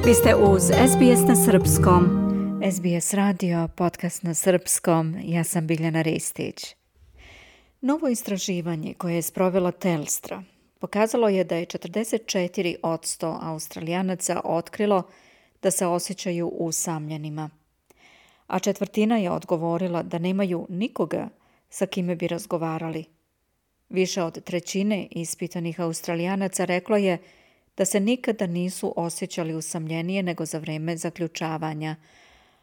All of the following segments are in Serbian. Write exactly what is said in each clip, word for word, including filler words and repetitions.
Vi ste uz S B S na srpskom. S B S radio, podcast na srpskom. Ja sam Biljana Ristić. Novo istraživanje koje je sprovela Telstra pokazalo je da je četrdeset četiri posto Australijanaca otkrilo da se osjećaju usamljenima, a četvrtina je odgovorila da nemaju nikoga sa kime bi razgovarali. Više od trećine ispitanih Australijanaca reklo je da se nikada nisu osjećali usamljenije nego za vreme zaključavanja,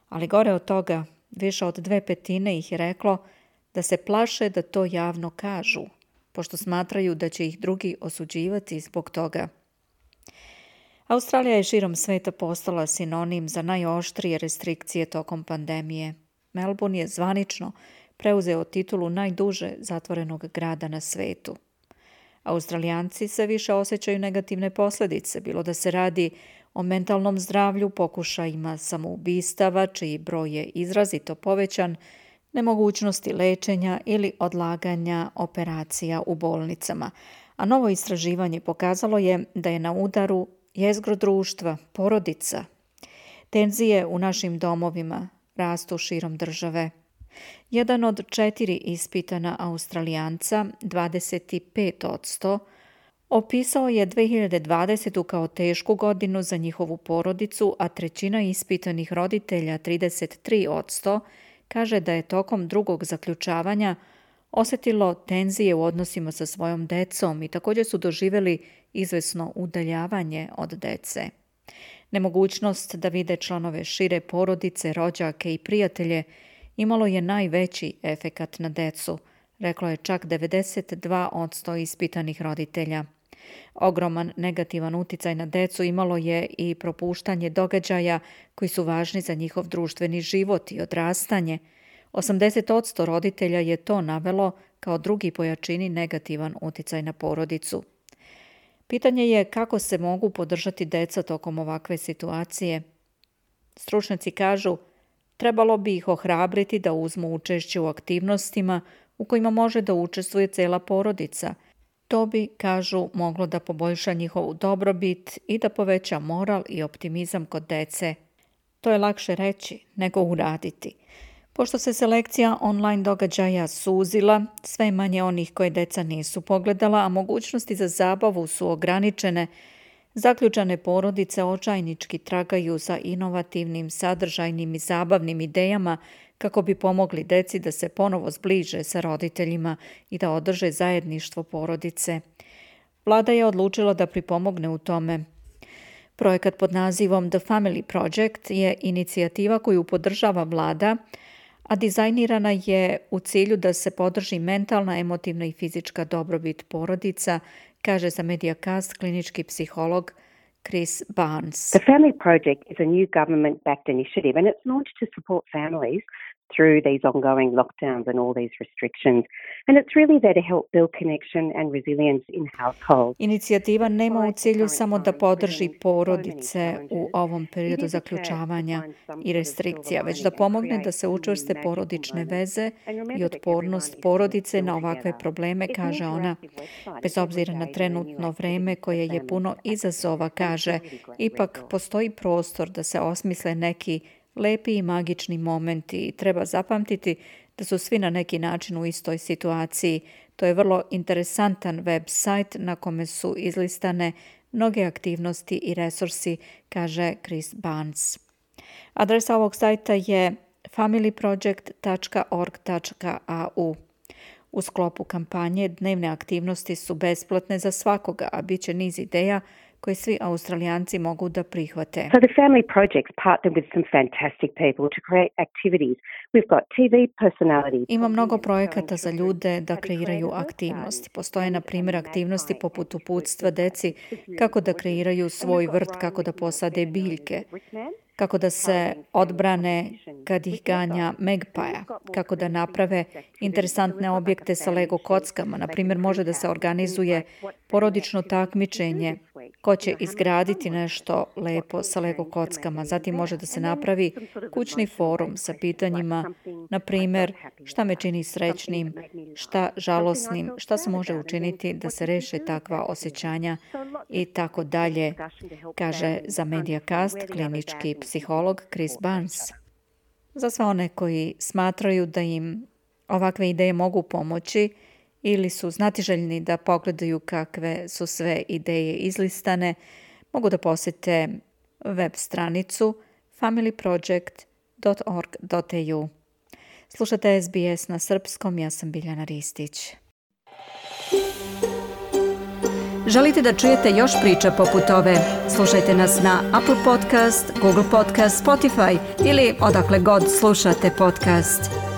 ali gore od toga, više od dve petine ih je reklo da se plaše da to javno kažu, pošto smatraju da će ih drugi osuđivati zbog toga. Australija je širom sveta postala sinonim za najoštrije restrikcije tokom pandemije. Melbourne je zvanično preuzeo titulu najduže zatvorenog grada na svetu. Australijanci se više osjećaju negativne posljedice, bilo da se radi o mentalnom zdravlju, pokušajima samoubistava, čiji broj je izrazito povećan, nemogućnosti lečenja ili odlaganja operacija u bolnicama. A novo istraživanje pokazalo je da je na udaru jezgro društva, porodica. Tenzije u našim domovima rastu širom države. Jedan od četiri ispitana Australijanca, dvadeset pet posto, opisao je dve hiljade dvadesetu kao tešku godinu za njihovu porodicu, a trećina ispitanih roditelja, trideset tri posto, kaže da je tokom drugog zaključavanja osjetilo tenzije u odnosima sa svojom decom i također su doživjeli izvesno udaljavanje od dece. Nemogućnost da vide članove šire porodice, rođake i prijatelje imalo je najveći efekat na decu, reklo je čak devedeset dva posto ispitanih roditelja. Ogroman negativan uticaj na decu imalo je i propuštanje događaja koji su važni za njihov društveni život i odrastanje. osamdeset posto roditelja je to navelo kao drugi po jačini negativan uticaj na porodicu. Pitanje je kako se mogu podržati deca tokom ovakve situacije. Stručnjaci kažu, trebalo bi ih ohrabriti da uzmu učešće u aktivnostima u kojima može da učestvuje cela porodica. To bi, kažu, moglo da poboljša njihovu dobrobit i da poveća moral i optimizam kod dece. To je lakše reći nego uraditi. Pošto se selekcija online događaja suzila, sve manje onih koje deca nisu pogledala, a mogućnosti za zabavu su ograničene, zaključane porodice očajnički tragaju za inovativnim, sadržajnim i zabavnim idejama kako bi pomogli deci da se ponovo zbliže sa roditeljima i da održe zajedništvo porodice. Vlada je odlučila da pripomogne u tome. Projekat pod nazivom The Family Project je inicijativa koju podržava vlada, a dizajnirana je u cilju da se podrži mentalna, emotivna i fizička dobrobit porodica, kaže za Mediacast klinički psiholog Chris Barnes. The Family Project is a new government-backed initiative and it's launched to support families through these ongoing lockdowns and all these restrictions. And it's really there to help build connection and resilience in households. Inicijativa nema u cilju samo da podrži porodice u ovom periodu zaključavanja i restrikcija, već da pomogne da se učvrste porodične veze i otpornost porodice na ovakve probleme, kaže ona. Bez obzira na trenutno vreme koje je puno izazova, kaže, ipak postoji prostor da se osmisle neki lepi i magični momenti i treba zapamtiti da su svi na neki način u istoj situaciji. To je vrlo interesantan web sajt na kome su izlistane mnoge aktivnosti i resursi, kaže Chris Barnes. Adresa ovog sajta je family project dot org dot a u. U sklopu kampanje dnevne aktivnosti su besplatne za svakoga, a bit će niz ideja koje svi Australijanci mogu da prihvate. So the Family Project's partnered with some fantastic people to create activities. We've got T V personalities. Ima mnogo projekata za ljude da kreiraju aktivnosti. Postoje, na primjer, aktivnosti poput uputstva deci kako da kreiraju svoj vrt, kako da posade biljke, kako da se odbrane kad ih ganja magpija, kako da naprave interesantne objekte sa Lego kockama. Na primjer, može da se organizuje porodično takmičenje ko će izgraditi nešto lepo sa Lego kockama. Zatim može da se napravi kućni forum sa pitanjima, na primjer, šta me čini srećnim, šta žalosnim, šta se može učiniti da se reše takva osjećanja i tako dalje, kaže za Mediacast klinički psiholog Chris Barnes. Za sve one koji smatraju da im ovakve ideje mogu pomoći ili su znatiželjni da pogledaju kakve su sve ideje izlistane, mogu da posjete web stranicu family project dot org dot a u. Slušate S B S na srpskom, ja sam Biljana Ristić. Želite da čujete još priča poput ove? Slušajte nas na Apple Podcast, Google Podcast, Spotify ili odakle god slušate podcast.